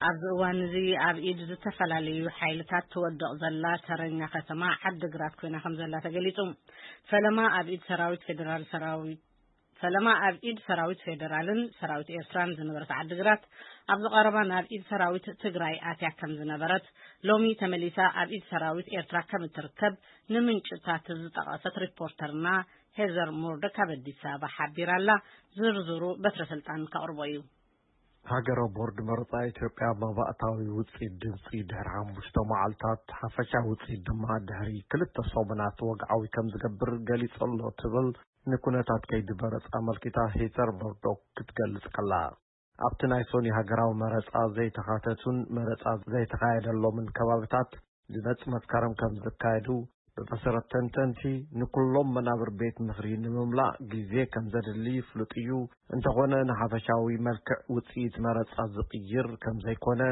ኣብዚ እዋን እዚ ኣብ ኢድ ዝተፈላለዩ ሓይልታት ትወድቕ ዘላ ተረኛ ከተማ ዓዲግራት ኮይና ከም ዘላ ተገሊጹ። ፈለማ ኣብ ኢድ ሰራዊት ፌደራል ሰራዊት ፈለማ ኣብ ኢድ ሰራዊት ፌደራልን ሰራዊት ኤርትራን ዝነበረት ዓዲግራት፣ ኣብዚ ቀረባ ናብ ኢድ ሰራዊት ትግራይ ኣትያ ከም ዝነበረት፣ ሎሚ ተመሊሳ ኣብ ኢድ ሰራዊት ኤርትራ ከም እትርከብ ንምንጭታት ዝጠቐሰት ሪፖርተርና ሄዘር ሞርዶክ ካብ ኣዲስ ኣበባ ሓቢራ ኣላ። ዝርዝሩ በትረ ስልጣን ከቕርቦ እዩ። ሃገራዊ ቦርድ መረጻ ኢትዮጵያ መባእታዊ ውጽኢት ድምጺ ድሕሪ ሓሙሽተ መዓልታት፣ ሓፈሻዊ ውጽኢት ድማ ድሕሪ ክልተ ሰሙናት ወግዓዊ ከም ዝገብር ገሊጹ ኣሎ ትብል ንኩነታት ከይዲ መረጻ ኣመልኪታ ሄዘር ሞርዶክ ክትገልጽ ከላ፣ ኣብቲ ናይ ሶኒ ሃገራዊ መረጻ ዘይተኻተቱን መረጻ ዘይተኻየደሎምን ከባብታት ዝመጽእ መስከረም ከም ዝካየዱ፣ ብመሰረት ተንተንቲ፣ ንኩሎም መናብር ቤት ምኽሪ ንምምላእ ግዜ ከም ዘድሊ ይፍሉጥ እዩ። እንተኾነ፣ ንሓፈሻዊ መልክዕ ውጽኢት መረጻ ዝቕይር ከም ዘይኮነ፣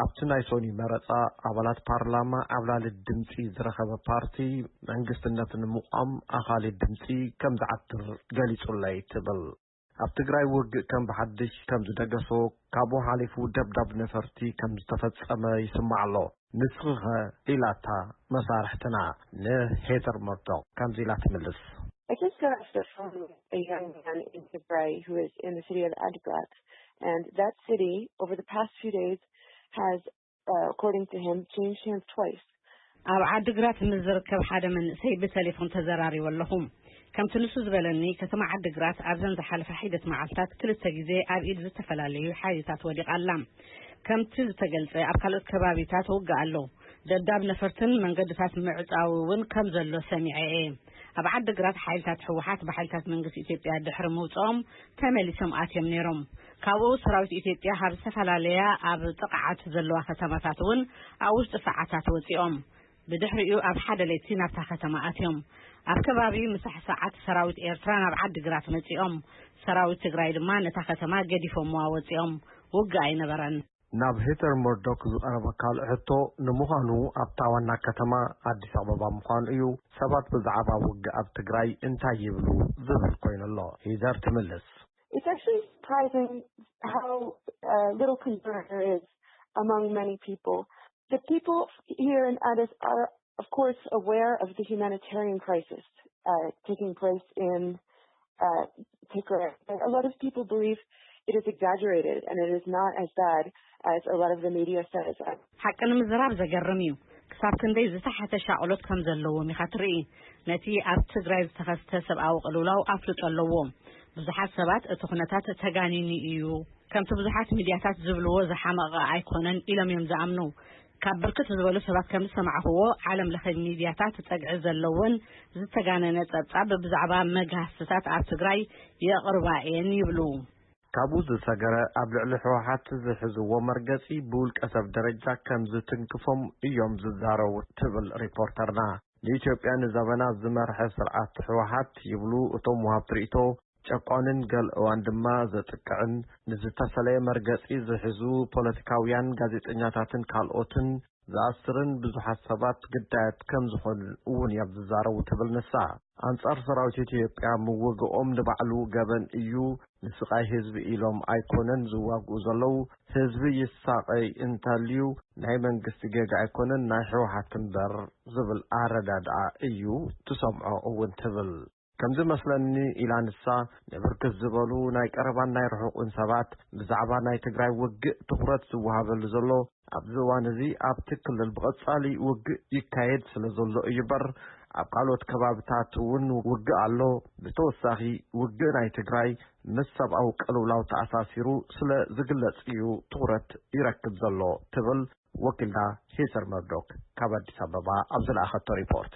ኣብቲ ናይ ሶኒ መረጻ፣ ኣባላት ፓርላማ ዓብላሊ ድምጺ ዝረኸበ ፓርቲ መንግስቲ ነቲ ንምቋም ኣኻሊ ድምጺ ከም ዝዓትር ገሊጹለይ ትብል። ኣብ ትግራይ ውግእ ከም ብሓድሽ ከም ዝደገሶ፣ ካብኡ ሓሊፉ ደብዳብ ነፈርቲ ከም ዝተፈጸመ ይስማዕ ኣሎ። ንስኺኸ? ኢላታ መሳርሕትና ንሄዘር ሞርዶክ ከምዚ ኢላ ትምልስ። I just got off the phone with a young man in Tigray who is in the city of Adigrat. And that city, over the past few days, has, uh, according to him, changed hands twice. ኣብ ዓዲግራት ምስ ዝርከብ ሓደ መንእሰይ ብቴሌፎን ተዘራሪበ ኣለኹ። ከምቲ ንሱ ዝበለኒ፣ ከተማ ዓዲግራት ኣብዘን ዝሓለፈ ሒደት መዓልታት ክልተ ግዜ ኣብ ኢድ ዝተፈላለዩ ሓይልታት ወዲቓ ኣላ። ከምቲ ዝተገልጸ፣ ኣብ ካልኦት ከባቢታት ውግእ ኣሎ። ደብዳብ ነፈርትን መንገድታት ምዕጻው እውን ከም ዘሎ ሰሚዐ እየ። ኣብ ዓዲግራት ሓይልታት ህወሓት ብሓይልታት መንግስቲ ኢትዮጵያ ድሕሪ ምውጽኦም ተመሊሶም ኣትዮም ነይሮም። ካብኡ ሰራዊት ኢትዮጵያ ካብ ዝተፈላለያ ኣብ ጥቕዓት ዘለዋ ከተማታት እውን ኣብ ውሽጢ ሰዓታት ወጺኦም። ብድሕሪኡ ኣብ ሓደ ለይቲ ናብታ ከተማ ኣትዮም። ኣብ ከባቢ ምሳሕ ሰዓት ሰራዊት ኤርትራ ናብ ዓዲግራት መጺኦም። ሰራዊት ትግራይ ድማ ነታ ከተማ ገዲፎምዋ ወጺኦም። ውግእ ኣይነበረን። ናብ ሄዘር ሞርዶክ ዝቐረበ ካልእ ሕቶ፣ ንምዃኑ ኣብታ ዋና ከተማ ኣዲስ ኣበባ ምዃኑ እዩ፣ ሰባት ብዛዕባ ውግእ ኣብ ትግራይ እንታይ ይብሉ ዝብል ኮይኑ ኣሎ። ሄዘር ትምልስ። It's actually surprising how uh, little concern there is among many people. The people here in Addis are, of course, aware of the humanitarian crisis uh, taking place in uh, Tigray. A lot of people believe it is exaggerated and it is not as bad as a lot of the media says. ሓቂ ንምዝራብ ዘገርም እዩ። ክሳብ ክንደይ ዝተሓተ ሻቕሎት ከም ዘለዎም ኢኻ ትርኢ። ነቲ ኣብ ትግራይ ዝተኸስተ ሰብኣዊ ቅልውላው ኣፍልጦ ኣለዎ። ብዙሓት ሰባት እቲ ኩነታት ተጋኒኑ እዩ፣ ከምቲ ብዙሓት ሚድያታት ዝብልዎ ዝሓመቐ ኣይኮነን ኢሎም እዮም ዝኣምኑ። ካብ ብርክት ዝበሉ ሰባት ከም ዝሰማዕኽዎ፣ ዓለም ለኸ ሚድያታት ጸግዒ ዘለዎን ዝተጋነነ ጸብጻብ ብዛዕባ መግሃስትታት ኣብ ትግራይ የቕርባ እየን ይብሉ። ካብኡ ዝሰገረ፣ ኣብ ልዕሊ ህወሓት ዝሕዝዎ መርገጺ ብውልቀ ሰብ ደረጃ ከም ዝትንክፎም እዮም ዝዛረቡ ትብል ሪፖርተርና። ንኢትዮጵያ ንዘበናት ዝመርሐ ስርዓት ህወሓት ይብሉ እቶም ወሃብቲ ርእይቶ፣ ጨቋንን ገለ እዋን ድማ ዘጥቅዕን፣ ንዝተፈለየ መርገጺ ዝሕዙ ፖለቲካውያን፣ ጋዜጠኛታትን ካልኦትን ዝኣስርን ብዙሓት ሰባት ግዳያት ከም ዝኾኑ እውን እዮም ዝዛረቡ ትብል ንሳ። ኣንጻር ሰራዊት ኢትዮጵያ ምውግኦም ንባዕሉ ገበን እዩ፣ ንስቓይ ህዝቢ ኢሎም ኣይኮነን ዝዋግኡ ዘለዉ፣ ህዝቢ ይሳቐይ እንተልዩ ናይ መንግስቲ ጌጋ ኣይኮነን ናይ ህወሓት እምበር ዝብል ኣረዳድኣ እዩ ትሰምዖ እውን ትብል። ከም ዝመስለኒ ኢላ ንሳ፣ ንብርክት ዝበሉ ናይ ቀረባን ናይ ርሑቕን ሰባት ብዛዕባ ናይ ትግራይ ውግእ ትኹረት ዝወሃበሉ ዘሎ ኣብዚ እዋን እዚ ኣብቲ ክልል ብቐጻሊ ውግእ ይካየድ ስለ ዘሎ እዩ እምበር ኣብ ካልኦት ከባብታት እውን ውግእ ኣሎ። ብተወሳኺ ውግእ ናይ ትግራይ ምስ ሰብኣዊ ቅልውላው ተኣሳሲሩ ስለ ዝግለጽ እዩ ትኹረት ይረክብ ዘሎ ትብል ወኪልና ሄዘር መርዶክ ካብ ኣዲስ ኣበባ ኣብ ዝለኣኸቶ ሪፖርት።